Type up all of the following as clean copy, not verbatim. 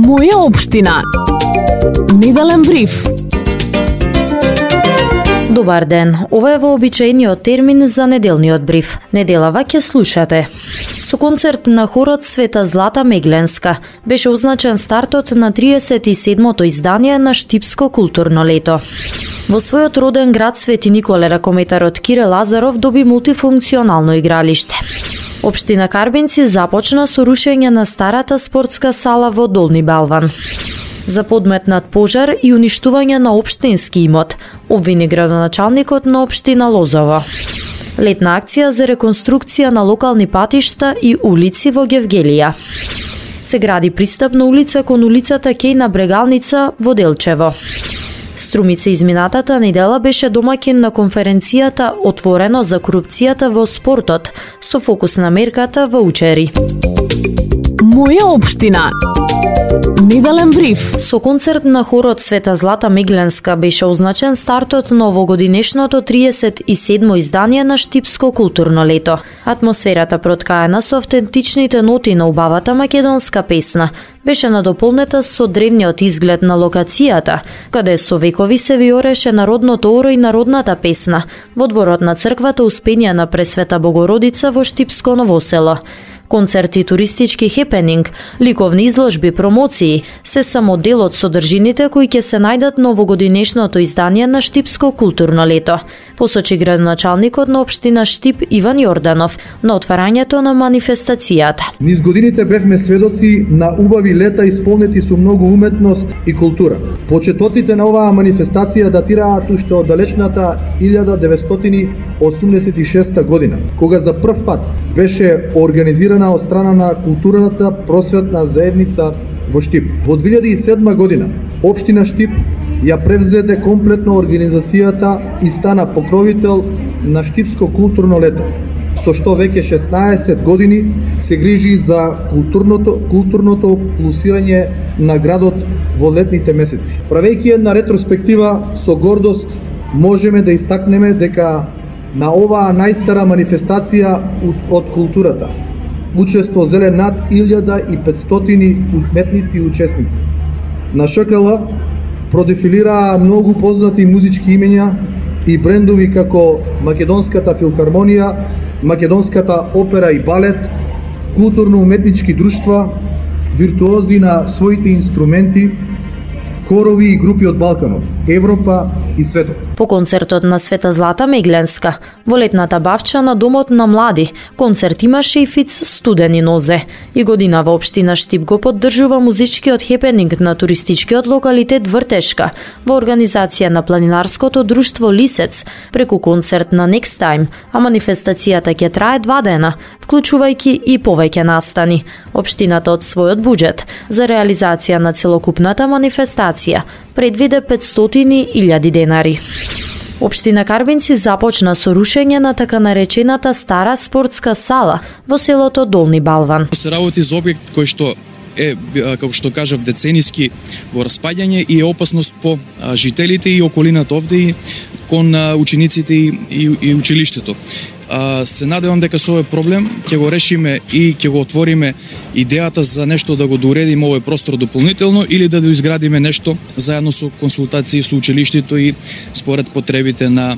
Моја општина. Неделен бриф. Добар ден, ова е вообичаениот термин за неделниот бриф. Неделава ќе слушате. Со концерт на хорот Света Злата Мегленска беше означен стартот на 37-то издание на Штипско културно лето. Во својот роден град Свети Николе ракометарот Кире Лазаров доби мултифункционално игралиште. Општина Карбинци започна со рушење на старата спортска сала во Долни Балван. За подметнат пожар и уништување на општински имот, обвини градоначалникот на општина Лозово. Летна акција за реконструкција на локални патишта и улици во Гевгелија. Се гради пристапна улица кон улицата Кејна Брегалница во Делчево. Струмица изминатата недела беше домаќин на конференцијата Отворено за корупцијата во спортот, со фокус на мерката во Учери. Моја општина. Неделен бриф. Со концерт на хорот Света Злата Мегленска беше означен стартот на овогодинешното 37-мо издание на Штипско културно лето. Атмосферата проткаена со автентичните ноти на убавата македонска песна беше надополнета со древниот изглед на локацијата, каде со векови се виореше народното оро и народната песна во дворот на црквата Успенија на Пресвета Богородица во Штипско Новосело. Концерти, туристички хепенинг, ликовни изложби, промоции се само дел од содржините кои ќе се најдат на овогодинешното издание на Штипско културно лето, посочи градоначалникот на општина Штип Иван Јорданов на отварањето на манифестацијата. Низ годините бевме сведоци на убави лета исполнети со многу уметност и култура. Почетоците на оваа манифестација датираат уште од далечната 1986 година, кога за прв пат беше организирана од страна на културната просветна заедница во Штип. Во 2007 година општина Штип ја превзеде комплетно организацијата и стана покровител на Штипско културно лето, со што веќе 16 години се грижи за културното плусирање на градот во летните месеци. Правејќи една ретроспектива, со гордост можеме да истакнеме дека на оваа најстара манифестација од културата учество зеле над 1500 уметници и учесници. На ШКЛ продефилираа многу познати музички имења и брендови како Македонската филхармонија, Македонската опера и балет, културно-уметнички друштва, виртуози на своите инструменти, хорови и групи од Балканот, Европа и светот. По концертот на Света Злата Мегленска, во летната бавча на Домот на млади, концерт имаше и фиц студени нозе. И годинава општина Штип го поддржува музичкиот хепенинг на туристичкиот локалитет Вртешка во организација на планинарското друштво Лисец преку концерт на Next Time, а манифестацијата ќе трае 2 дена, вклучувајќи и повеќе настани. Општината од својот буџет за реализација на целокупната манифестација предвиде 500.000 денари. Општина Карбинци започна со рушење на така наречената стара спортска сала во селото Долни Балван. Се работи за објект кој што е, како што кажав, децениски во распаѓање и е опасност по жителите и околината овде и кон учениците и училиштето. Се надевам дека со овој проблем ќе го решиме и ќе го отвориме идејата за нешто да го доуредиме овој простор дополнително или да доизградиме нешто заедно со консултации со училиштето и според потребите на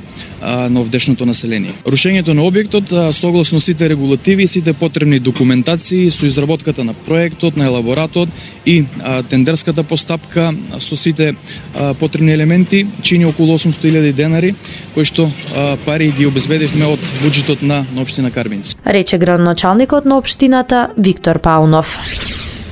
овдешното население. Рушењето на објектот согласно сите регулативи и сите потребни документации со изработката на проектот, на елаборатот и тендерската постапка со сите потребни елементи чини околу 800.000 денари, кои што пари ги обезбедивме од буџетот на општина Карбинци. Рече градоначалникот на општината Виктор Паунов.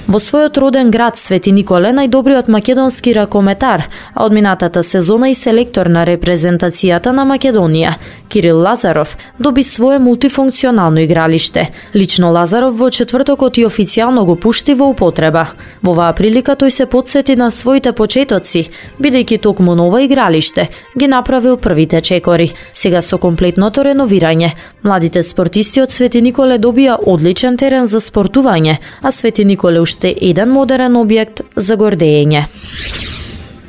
Во својот роден град Свети Николе најдобриот македонски ракометар, а од минатата сезона и селектор на репрезентацијата на Македонија, Кирил Лазаров, доби свое мултифункционално игралиште. Лично Лазаров во четвртокот и официјално го пушти во употреба. Во оваа прилика тој се потсети на своите почетоци, бидејќи токму на ова игралиште ги направил првите чекори. Сега со комплетното реновирање, младите спортисти од Свети Николе добија одличен терен за спортување, а Свети Николе уште еден модерен објект за гордење.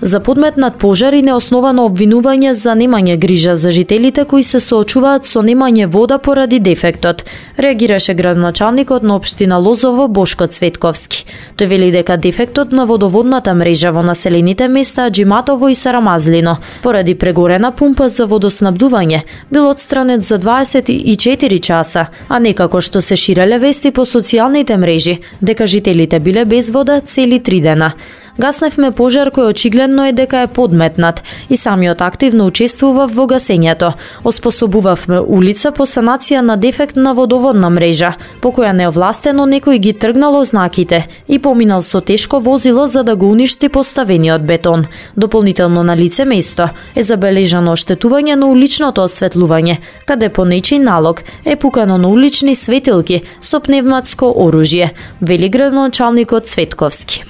За подметнат пожар и неосновано обвинување за немање грижа за жителите кои се соочуваат со немање вода поради дефектот, реагираше градоначалникот на општина Лозово Бошко Цветковски. Тој вели дека дефектот на водоводната мрежа во населените места Аџиматово и Сарамазлино поради прегорена пумпа за водоснабдување бил отстранет за 24 часа, а не како што се ширеле вести по социјалните мрежи дека жителите биле без вода цели 3 дена. Гасневме пожар кој очигледно е дека е подметнат и самиот активно учествував во гасењето. Оспособувавме улица по санација на дефект на водоводна мрежа, по која неовластено некој ги тргнал знаките и поминал со тешко возило за да го уништи поставениот бетон. Дополнително на лице место е забележано оштетување на уличното осветлување, каде по нечи налог е пукано на улични светилки со пневматско оружје, вели градоначалникот Цветковски.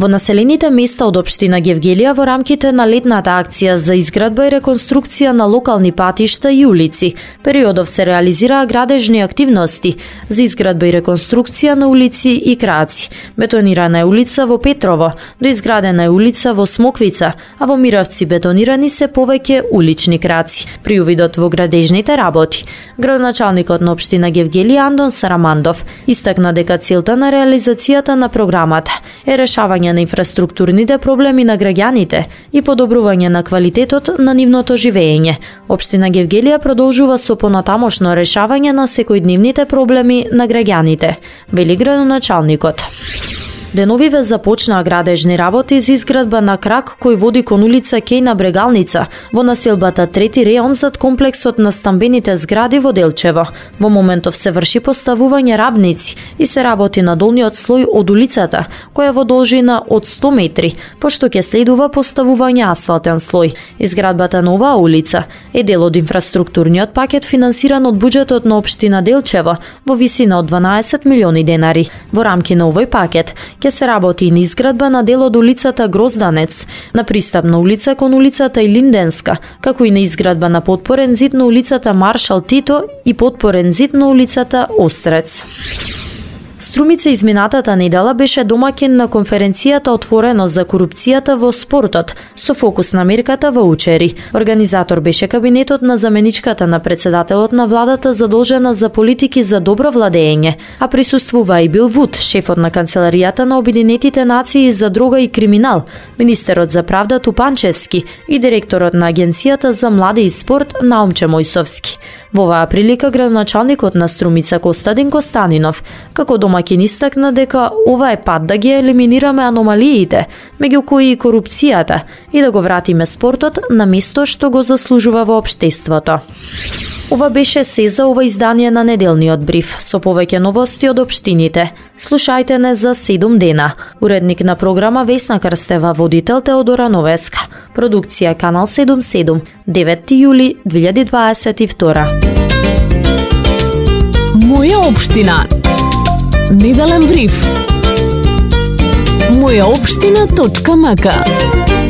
Во населените места од општина Гевгелија во рамките на летната акција за изградба и реконструкција на локални патишта и улици, периодов се реализираа градежни активности за изградба и реконструкција на улици и краци. Бетонирана е улица во Петрово, доизградена е улица во Смоквица, а во Миравци бетонирани се повеќе улични краци. При увидот во градежните работи, градоначалникот на општина Гевгелија Андон Сарамандов истакна дека целта на реализацијата на програмата е решавање на инфраструктурните проблеми на граѓаните и подобрување на квалитетот на нивното живење. Општина Гевгелија продолжува со понатамошно решавање на секојдневните проблеми на граѓаните, вели градоначалникот. Деновиве започнаа градежни работи за изградба на крак кој води кон улица Кејна Брегалница во населбата Трети реон зад комплексот на стамбените згради во Делчево. Во моментов се врши поставување рабници и се работи на долниот слој од улицата, која во должина од 100 метри, пошто ќе следува поставување асфалтен слој. Изградбата на оваа улица е дел од инфраструктурниот пакет финансиран од буџетот на општина Делчево во висина од 12 милиони денари. Во рамки на овој пакет ќе се работи и на изградба на дел од улицата Грозданец, на пристапна улица кон улицата Илинденска, како и на изградба на потпорен зид на улицата Маршал Тито и потпорен зид на улицата Острец. Струмица изминатата недела беше домаќин на конференцијата отворено за корупцијата во спортот, со фокус на мерката во Учери. Организатор беше кабинетот на заменичката на председателот на владата задолжена за политики за добро владење, а присуствува и Бил Вуд, шефот на канцеларијата на Обединетите нации за дрога и криминал, министерот за правда Тупанчевски и директорот на Агенцијата за млади и спорт Наумче Мојсовски. Во оваа прилика градоначалникот на Струмица Костадин Костанинов, како домаќин истакна дека ова е пат да ги елиминираме аномалиите, меѓу кои и корупцијата, и да го вратиме спортот на место што го заслужува во општеството. Ова беше се за ова издание на неделниот бриф, со повеќе новости од општините. Слушајте не за 7 дена. Уредник на програма Весна Крстева, водител Теодора Новеска. Продукција Канал 77, 9 јули 2022. Моја општина. Неделен бриф. Мојаопштина.мк